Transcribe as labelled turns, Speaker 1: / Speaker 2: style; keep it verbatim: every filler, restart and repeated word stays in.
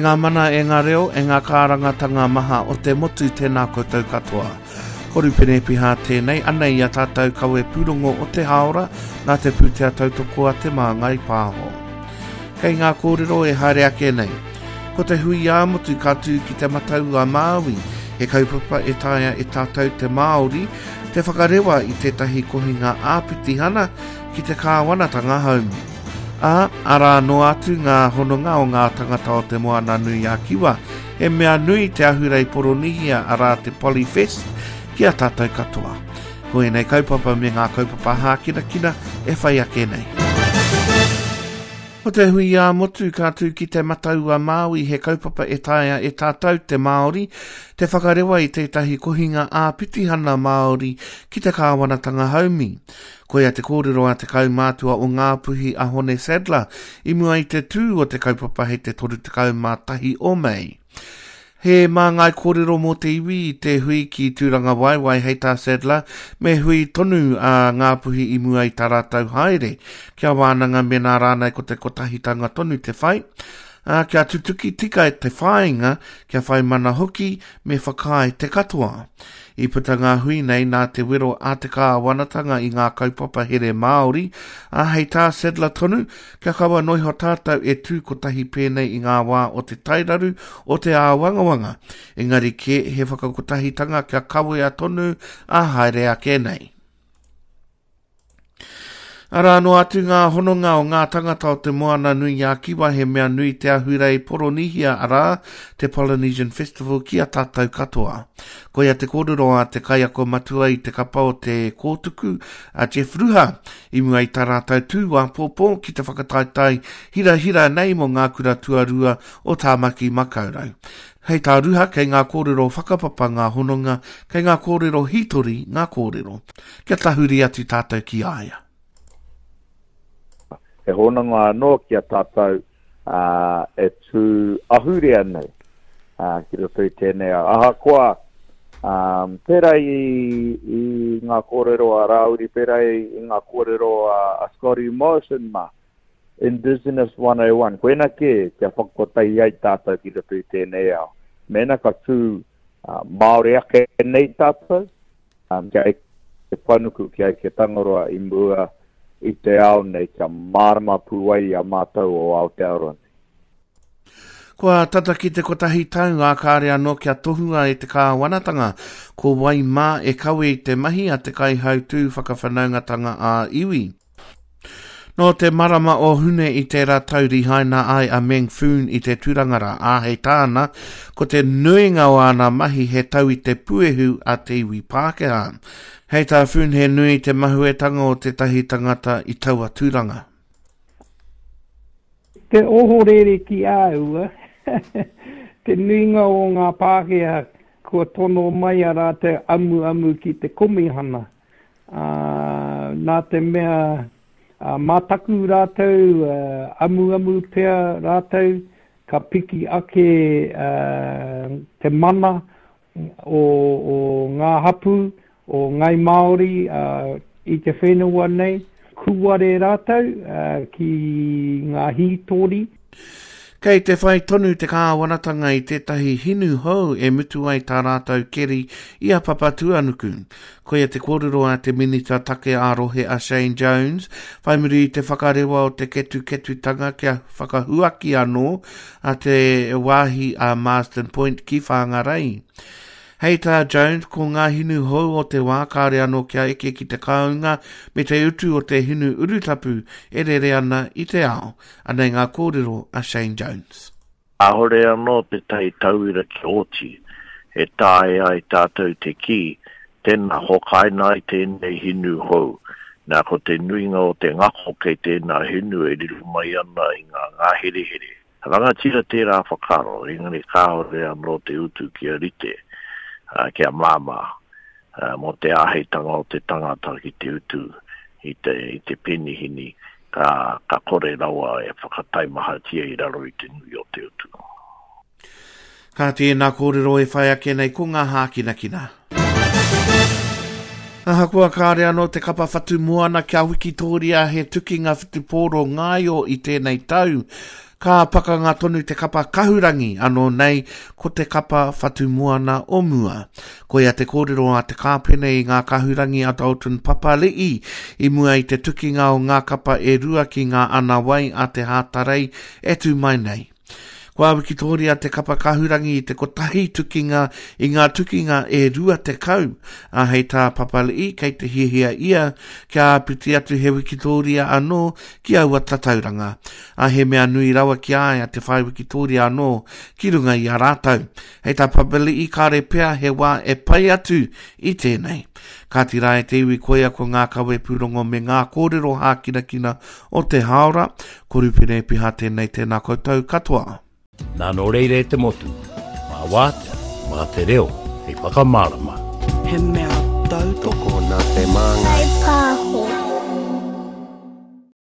Speaker 1: ngā mana, e ngā reo, e ngā kārangatanga maha o te motu, tēnā koutou katoa. Ko Rupene Piha tēnei, anei i a tātou kawe pūrongo o te hāora, nā te pūtea tautoko a Te Māngai Pāho. Kei ngā kōrero e haere ake nei. Ko te hui ā-motu ka tū ki Te Matau a Māui, he kaupapa e taea e tātou te Māori te whakarewa i tētahi kohinga āpitihana ki te kāwanatanga haumi. Ā, arā noa atu ngā hononga o ngā tangata o Te Moana-nui-a-Kiwa. He mea nui te ahurei Poronihia, arā te Polyfest, ki a tātou katoa. Ko ēnei kaupapa me ngā kaupapa hākinakina e whai ake nei. Ko te hui ā-motu ka tū ki Te Matau-a-Māui, he kaupapa e taea e tātou te Māori te whakarewa i tētahi kohinga ā-pitihana Māori ki te kāwanatanga haumi. Koia te kōrero a te kaumātua o Ngāpuhi a Hone Sadler i mua i te tū o te kaupapa hei te toru tekau mā tahi o Mei. He māngai kōrero mō te iwi i te hui ki Tūrangawaewae hei tā Sadler, me hui tonu a Ngāpuhi i mua i tā rātou haere, kia wānanga mēnā rānei ko te kotahitanga tonu te whai, ā, kia tutuki tika te whāinga, kia whai mana hoki, me whakaae te katoa. I puta ngā hui nei nā te wero a te kāwanatanga i ngā kaupapa here Māori, ā, hei tā Sadler tonu, kia kaua noa iho tātou e tū kotahi pēnei i ngā wā o te tairaru, o te āwangawanga, engari kē he whakakotahitanga kia kawea tonu ā haere ake nei. Arā noa atu ngā hononga o ngā tangata o Te Moana-nui-a-Kiwa, he mea nui te ahurei Poronihia, arā, te Polynesian Festival ki a tātou katoa. Koia te kōrero a te kaiako matua i te kapa o te Kōtuku, a Jeff Ruha, i mua i tā rātou tū āpōpō ki te whakataetae hirahira nei mō ngā kura tuarua o Tāmaki Makaurau. Hei tā Ruha, kei ngā kōrero whakapapa ngā hononga, kei ngā kōrero hītori ngā kōrero. Kia tahuri atu tātou ki a ia.
Speaker 2: He hononga anō ki a tātou e tū ahurea nei ki roto i tēnei ao. Ahakoa, pērā i, i ngā kōrero a Rāwiri, pērā i ngā kōrero a Scotty Morrison mā, Indigenous one oh one, koina kē kia whakakotahi ai tātou ki roto i tēnei ao. Mēnā ka tū Māori ake nei tātou, kia eke panuku, kia eke Tangaroa i mua i te ao nei, kia mārama pū ai i a mātou o Aotearoa nei.
Speaker 1: Kua tata ki te kotahi tau ā kāre anō kia tohua e te kāwanatanga ko wai mā e kawe i te mahi a te kaihautū whakawhanaungatanga ā-iwi. Nō te marama o Hune i tērā tau rihaina ai a Meng Foon i te tūranga rā, ā, hei tāna, ko te nuinga o āna mahi he tau i te puehu a te iwi Pākehā. Hei tā Foon he nui te mahuetanga o tētahi tangata i taua tūranga.
Speaker 3: Te ohorere ki a ua, te nuinga o ngā Pākehā kua tono mai a rātou amuamu ki te komihana, ā, nā te mea mā taku rātou amuamu pea rātou ka piki ake te mana o, o ngā hapū, o Ngāi Māori i te whenua nei, kūare rātou ki ngā hītori.
Speaker 1: Kei te whai tonu te kāwanatanga i tētahi hinu hou e mutu ai tā rātou keri i a Papatūānuku. Koia te kōrero a te Minita Take ā-Rohe a Shane Jones, whai muri i te whakarewa o te ketuketutanga kia whakahuaki anō a te wāhi a Marsden Point ki Whangarei. Hei tā Jones, ko ngā hinu hou o te wā kāre anō kia eke ki te kāunga me te utu o te hinu urutapu e rere ana i te ao. Anei ngā kōrero a Shane Jones.
Speaker 4: Kāore anō tētahi tauira ki oti e taea ai tātou te kī, tēnā hokaina ai tēnei hinu hou. Nā, ko te nuinga o te ngako kei tēnā hinu e riro mai ana i ngā ngāherehere. Rangatira tērā whakaaro, engari kāore anō te utu kia rite, kia māmā, mō te āheitanga o te tangata ki te utu i te, i te penihini, ka, ka kore rawa e whakataimahatia i raro i te nui o te utu.
Speaker 1: Ka tēnā kōrero e whai ake nei ko ngā hākinakina. Ahakoa kāre anō te kapa Whatu Moana kia wikitōria he tukinga whutupōro ngāio i tēnei tau, ka pakanga tonu te kapa Kahurangi anō nei ko te kapa Whatu Moana o mua. Koia te kōrero a te kāpene i ngā Kahurangi a Dalton Papali'i i mua i te tukinga o ngā kapa e rua ki ngā anawai a te Hātarei e tū mai nei. Kua wikitōria te kapa Kahurangi i te kotahi tukinga i ngā tukinga e rua tekau, a hei tā Papali'i kei te hiahia ia kia āpiti atu he wikitōria anō ki aua tatauranga. A he mea nui rawa ki a ia te whai wikitōria anō ki runga i a rātou. Hei tā Papali'i kāre pea he wā e pai atu i tēnei. Kāti rā e te iwi koia ko ngā kawe pūrongo me ngā kōrero hākinakina o te hāora. Ko Rupene Piha tēnei, tēnā koutou katoa.
Speaker 5: Nā nō reira e te motu, mā wātea, mā te reo, hei whakamārama.
Speaker 6: He mea tautoko
Speaker 7: nā te māngai.